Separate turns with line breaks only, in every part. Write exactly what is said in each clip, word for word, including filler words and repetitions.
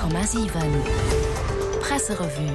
Komma siwen Presserevue.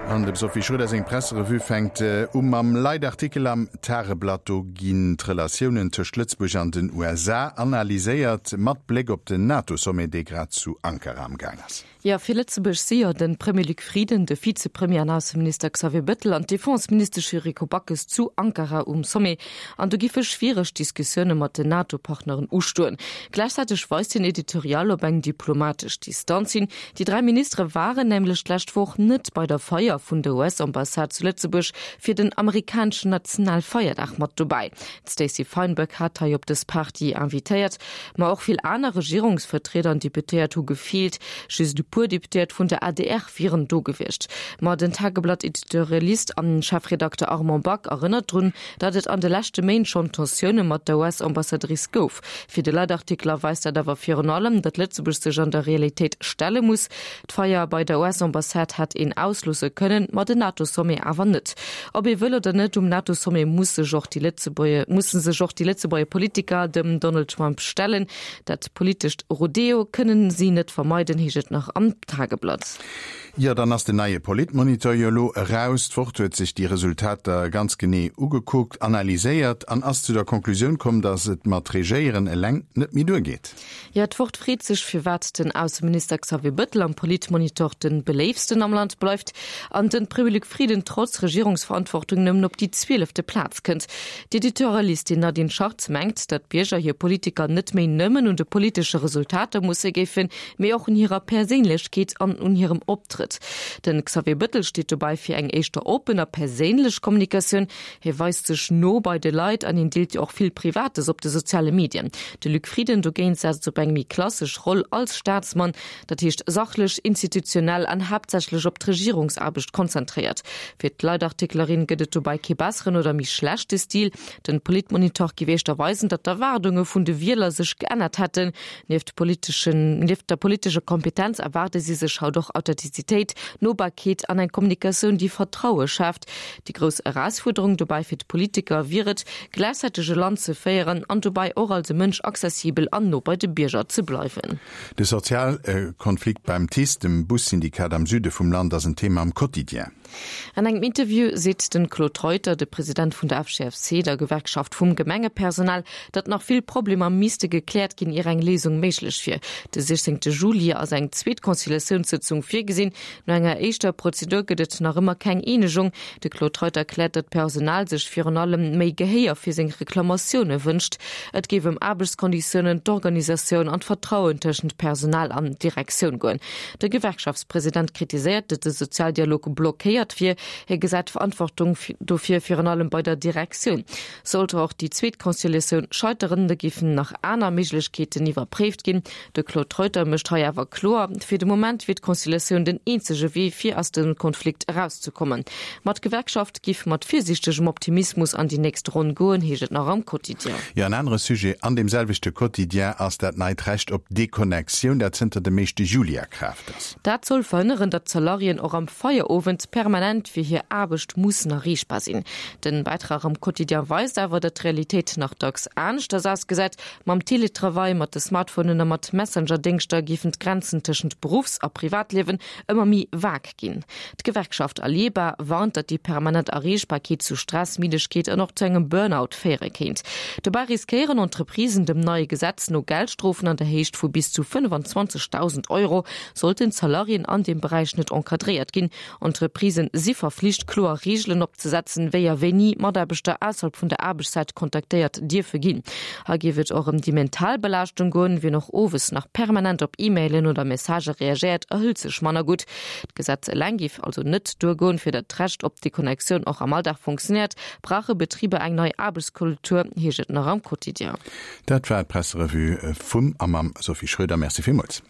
An dem Sophie Schröder seng Presserevue fänkt u mam Leitartikel am Tageblatt. Do ginn d'Relatiounen tëscht Lëtzebuerg an den U S A analyséiert, mat Bléck op den NATO-Sommet, dee grad zu Ankara am Gaang ass.
Jo, fir Lëtzebuerg si jo de Premier Luc Frieden, de Vizepremier an Ausseminister Xavier Bettel an d'Defenseministesch Yuriko Backes zu Ankara um Sommet. An do giffe schwiereg Diskussioune mat den NATO-Partneren ustoen. Gläichzäiteg weist den Editorial op eng diplomatesch Distanz hin. Déi dräi Ministere waren nämlech d'lescht Woch net bei der Feier vun der U S-Ambassade zu Lëtzebuerg fir den amerikaneschen Nationalfeierdag mat dobäi. D'Stacey Feinberg hat hei op dës Party invitéiert, ma och vill aner Regierungsvertrieder an Deputéiert hu gefeelt. Just e puer Deputéiert vun der A D R wieren do gewiescht. Ma den Tageblatt-Editorialist an Chefredakter Armand Back erënnert drun, datt et an de leschte Méint schonn Tensioune mat der U S-Ambassadrice gouf. Fir de Leitartikler weist dat awer virun allem, datt Lëtzebuerg sech an der Realitéit stelle muss. D'Feier bei der U S-Ambassade hätt een ausloosse kënnen, ma den NATO-Sommet awer net. Ob ee wëll oder net, um NATO-Sommet muss sech och déi Lëtzebuerger, musse sech och déi Lëtzebuerger Politiker dem Donald Trump stellen. Dat politescht Rodeo kënnen si net vermeiden, heescht et nach am Tageblatt.
Jo, dann ass den neie Politmonitor jo elo eraus. D'Wort huet sech déi Resultater ganz genee ugekuckt, analyséiert an ass zu der Konklusioun komm, datt et mat Regéieren eleng net méi duergeet.
Jo, d'Wort freet sech, firwat den Ausseminister Xavier Bettel am Politmonitor den beléiftsten am Land bleift an den Premier Luc Frieden trotz Regierungsverantwortung nëmmen op déi zwielefte Plaz kënnt. D'Editorialistin Nadine Schartz mengt, datt d'Bierger hir Politiker net méi nëmmen un de politesche Resultater musse géifen, mee och un hirer Perséinlechkeet an un hirem Optrëtt. Den Xavier Bettel steet dobäi fir eng éischter open a perséinlech Kommunikatioun. Hie weist sech no bei de Leit an hien deelt jo och vill Privates op de soziale Medien. De Luc Frieden dogéint setzt op eng méi klassesch Roll als Staatsmann, dat heescht sachlech, institutionell an haaptsächlech op d'Regierungsaarbecht konzentréiert. Fir d'Leitartiklerin gëtt et dobäi kee besseren oder méi schlechte Stil. Den Politmonitor géif éischter weisen, datt d'Erwaardunge vun de Wieler sech geännert hätten. Nieft politeschen, nieft der politescher Kompetenz erwaarde si sech haut och Authentizitéit, Nobarkeet an eng Kommunikatioun, déi Vertraue schaaft. Déi grouss Erausfuerderung dobäi fir d'Politiker wier et, gläichzäiteg e Land ze féieren an dobäi och als e Mënsch accessibel an no bei de Bierger ze bleiwen.
De Sozialkonflikt beim T I S, dem Bussyndikat am Süde vum Land, ass en Thema am Quotidien.
An engem Interview seet den Claude Reuter, de President vun der F G F C, der Gewerkschaft vum Gemengepersonal, datt nach vill Problemer misste gekläert ginn, ier eng Léisung méiglech wier. De sechzehnte Juli ass eng zweet Conciliatiounssitzung virgesinn. No enger éischter Prozedur gëtt et nach ëmmer keng Eenegung. De Claude Reuter erkläert, datt d'Personal sech virun allem méi Gehéier fir seng Reklamatioune wënscht. Et géif ëm Aarbechtskonditiounen, d'Organisatioun an d'Vertrauen tëschent Personal an Direktioun goen. De Gewerkschaftspräsident kritiséiert, datt de Sozialdialog blockéiert wier. Hie gesäit d'Verantwortung dofir virun allem bei der Direktioun. Sollte och déi zweet Conciliatioun scheiteren, da géifen nach aner Méiglechkeeten iwwerpréift ginn. De Claude Reuter mécht hei awer kloer, fir de Moment wier d'Conciliatioun den eenzege Wee, fir aus dem Konflikt erauszekommen. Ma d'Gewerkschaft géif mat virsiichtegem Optimismus an déi nächst Ronn goen, heescht et nach am Quotidien.
Jo, en anere Sujet an deem selwechte Quotidien ass dat neit Recht op Deconnectioun, dat zënter dem éischte Juli a Kraaft ass.
Dat soll verhënneren, datt d'Salariéen och am Feierowend permanent fir hir Aarbecht mussen erreechbar sinn. Den Bäitrag am Quotidien weist awer, datt d'Realitéit nach dacks aneschters ausgesäit. Mam Teletravail, mat de Smartphonen a mat Messenger-Déngschter géifen d'Grenzen tëschent Beruffs- a Privatliewen ëmmer méi vag ginn. D'Gewerkschaft Aleba warnt, datt déi permanent Erreechbarkeet zu Stress, Middegkeet an och zu engem Burnout féiere kéint. Dobäi riskéieren Entreprisen dem neie Gesetz no Geldstrofen an der Héicht vu bis zu fënnefenzwanzegdausend Euro, sollten d'Salariéen an dem Beräich net encadréiert ginn. Entreprisen si verflicht, kloer Reegelen opzesetzen, wéi a wéini Mataarbechter ausserhalb vun der Aarbechtszäit kontaktéiert dierfe ginn. Hei géif et och ëm déi mental Belaaschtung goen, wien och owes nach permanent op E-Mailen oder Messagë reagéiert, erhëlt sech manner gutt. D'Gesetz eleng géif also net duergoen, fir datt d'Recht op Deconnectioun och am Alldag funktionéiert, brauche Betriber eng nei Aarbechtskultur, heescht et nach am Quotidien.
Dat war d'Presserevue vum a mam Sophie Schröder. Merci villmools.